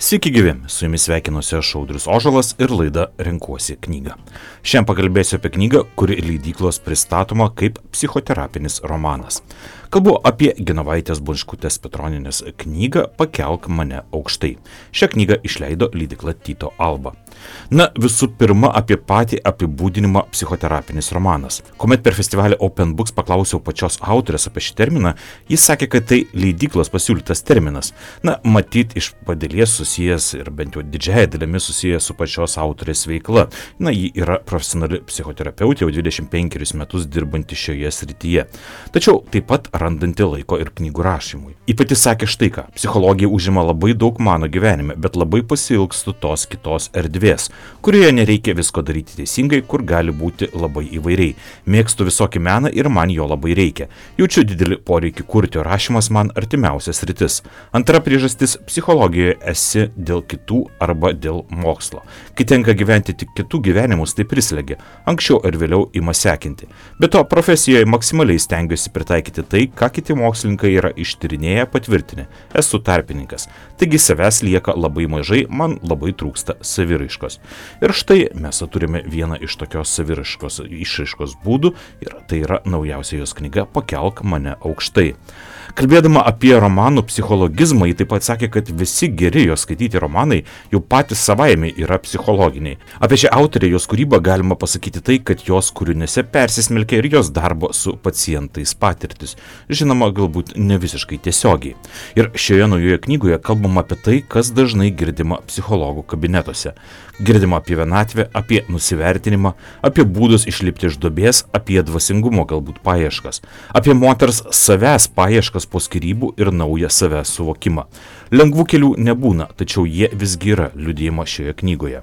Sveiki gyvi, su jumis sveikinuosi aš Audrius Ožalas ir laida Renkuosi knygą. Šiandien pakalbėsiu apie knygą, kuri leidyklos pristatoma kaip psichoterapinis romanas. Kalbu apie Genovaitės Bončkutės Petronienės knygą Pakelk mane aukštai. Šią knygą išleido leidykla Tyto Alba. Na, visų pirma, apie patį apibūdinimą psichoterapinis romanas. Kuomet per festivalį Open Books paklausiau pačios autorės apie šį terminą, jis sakė, kad tai leidyklos pasiūlytas terminas. Na, matyt, iš padėlies susijęs ir bent jau didžiąją dalimi susijęs su pačios autorės veikla. Na, ji yra profesionali psichoterapeutė, jau 25 metus dirbanti šioje srityje. Tačiau taip pat randanti laiko ir knygų rašymui. Ji pati sakė štai ką, psichologija užima labai daug mano gyvenime, bet labai pasiilgstu tos kitos erdvės, kurioje nereikia visko daryti teisingai, kur gali būti labai įvairiai. Mėgstu visokį meną ir man jo labai reikia. Jaučiu didelį poreikį kurti, o rašymas man artimiausias rytis. Antra priežastis - psichologijoje esi dėl kitų arba dėl mokslo. Kai tenka gyventi tik kitų gyvenimus, tai prislegia. Anksčiau ir vėliau ima sekinti. Be to, profesijoje maksimaliai stengiuosi pritaikyti tai, ką kiti mokslininkai yra ištyrinėję patvirtinę. Esu tarpininkas. Taigi savęs lieka labai mažai, man labai trūksta saviraiškos. Ir štai mes turime vieną iš tokios saviraiškos išraiškos būdų ir tai yra naujausia jos knyga Pakelk mane aukštai. Kalbėdama apie romanų psichologizmą, ji taip pat sakė, kad visi geri jos skaityti romanai jau patys savaime yra psichologiniai. Apie šią autorę jos kūrybą galima pasakyti tai, kad jos kūriniuose persismelkia ir jos darbo su pacientais patirtis. Žinoma, galbūt ne visiškai tiesiogiai. Ir šioje naujoje knygoje kalbama apie tai, kas dažnai girdima psichologų kabinetuose. Girdima apie vienatvę, apie nusivertinimą, apie būdus išlipti iš duobės, apie dvasingumo galbūt paieškas, apie moters savęs paieškas po skyrybų ir naują savęs suvokimą. Lengvų kelių nebūna, tačiau jie visgi yra liudijimo šioje knygoje.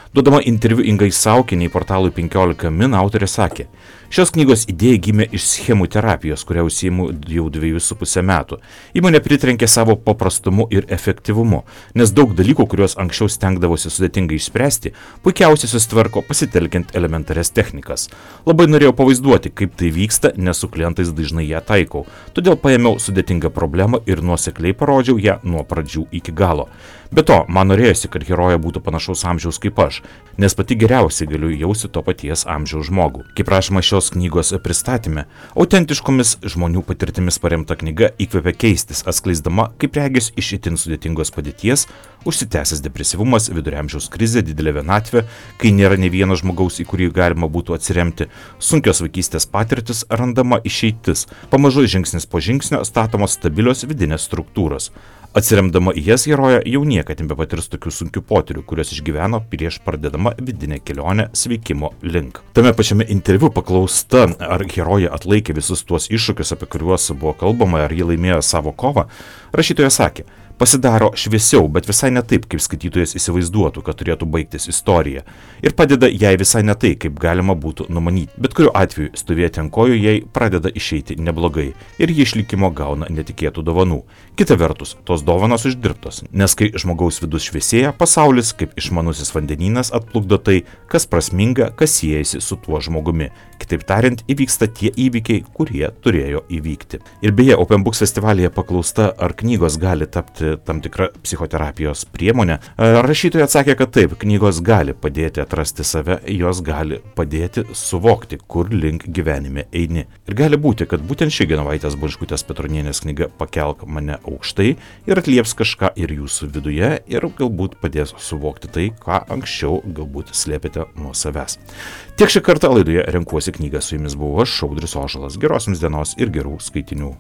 Duodama interviu Ingai Saukiniai portalui 15 min autorė sakė, šios knygos idėja gimė iš schemų terapijos, kurią užsiimu jau 2,5 metų. Įmonė pritrenkė savo paprastumu ir efektyvumu, nes daug dalykų, kuriuos anksčiau stengdavosi sudėtingai išspręsti, puikiausiai susitvarko pasitelkiant elementarias technikas. Labai norėjau pavaizduoti, kaip tai vyksta, nes su klientais dažnai ją taikau. Todėl paėmiau sudėtingą problemą ir nuosekliai parodžiau ją nuo pradžių iki galo. Be to, man norėjosi, kad herojė būtų panašaus amžiaus kaip aš, nes pati geriausiai galiu jausti to paties amžiaus žmogų. Kaip rašoma šios knygos pristatyme, autentiškomis žmonių patirtimis paremta knyga įkvepia keistis, atskleisdama, kaip regis iš itin sudėtingos padėties, užsitęsęs depresyvumas, viduramžiaus krizė, didelė vienatvė, kai nėra ne vieno žmogaus, į kurį galima būtų atsiremti, sunkios vaikystės patirtis, randama išeitis, pamažu žingsnis po žingsnio statomos stabilios vidinės struktūros. Atsiremdama į jas herojė jau niekad nebepatirs tokių sunkių potyrių, kurios išgyveno prieš pradedama vidinę kelionę sveikimo link. Tame pačiame interviu paklausta, ar herojė atlaikė visus tuos iššūkius, apie kuriuos buvo kalbama, ar ji laimėjo savo kovą, rašytoja sakė, pasidaro šviesiau, bet visai ne taip, kaip skaitytojas įsivaizduotų, kad turėtų baigtis istorija. Ir padeda jai visai ne tai, kaip galima būtų numanyti. Bet kuriuo atveju stovėti ant kojų jai pradeda išeiti neblogai ir ji išlikimo gauna netikėtų dovanų. Kita vertus, tos dovanos uždirbtos, nes kai žmogaus vidus šviesėja, pasaulis kaip išmanusis vandenynas atplukdo tai, kas prasminga, kas siejasi su tuo žmogumi. Kitaip tariant, įvyksta tie įvykiai, kurie turėjo įvykti. Ir beje, Open Books festivalyje paklausta, ar knygos gali tapti tam tikra psichoterapijos priemonė. Rašytoja atsakė, kad taip, knygos gali padėti atrasti save, jos gali padėti suvokti, kur link gyvenime eini. Ir gali būti, kad būtent ši Genovaitės Bončkutės Petronienės knyga Pakelk mane aukštai ir atlieps kažką ir jūsų viduje ir galbūt padės suvokti tai, ką anksčiau galbūt slėpėte nuo savęs. Tiek šį kartą laidoje Renkuosi knygą, su jumis buvau aš, Audrius Ožalas. Geros jums dienos ir gerų skaitinių.